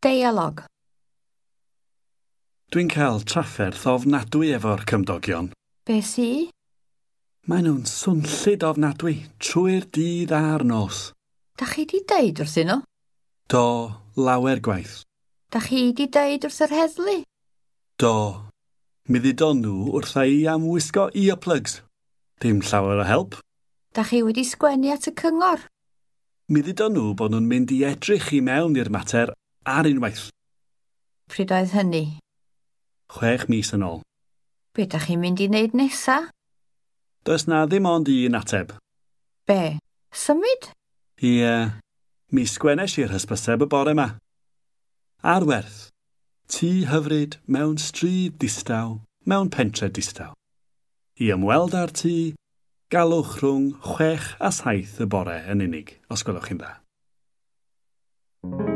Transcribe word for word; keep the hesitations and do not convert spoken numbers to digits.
Deialog. Dwi'n cael trafferth ofnadwy efo'r cymdogion. Be sy? Maen nhw'n swnllyd ofnadwy trwy'r dydd a'r nos. Da chi di deud wrthyn nhw? Do, lawer gwaith. Da chi di deud wrth yr heddlu? Do. Mi ddudon nhw wrtha i am wisgo earplugs. Dim llawer o help. Da chi wedi sgwennu at y cyngor? Mi ddudon nhw bod nhw'n mynd i edrych i mewn i'r mater ar unwaith. Pryd oedd hynny? Chwech mis yn ôl. Be da chi'n mynd i wneud nesa? Does na ddim ond un ateb. Be? Symud? Ie, mi sgwennes i'r hysbyseb y bore yma. Ar werth. Tŷ hyfryd mewn stryd distaw, mewn pentre distaw. I ymweld â'r tŷ, galwch rhwng chwech a saith y bore yn unig, os gwelwch chi'n dda.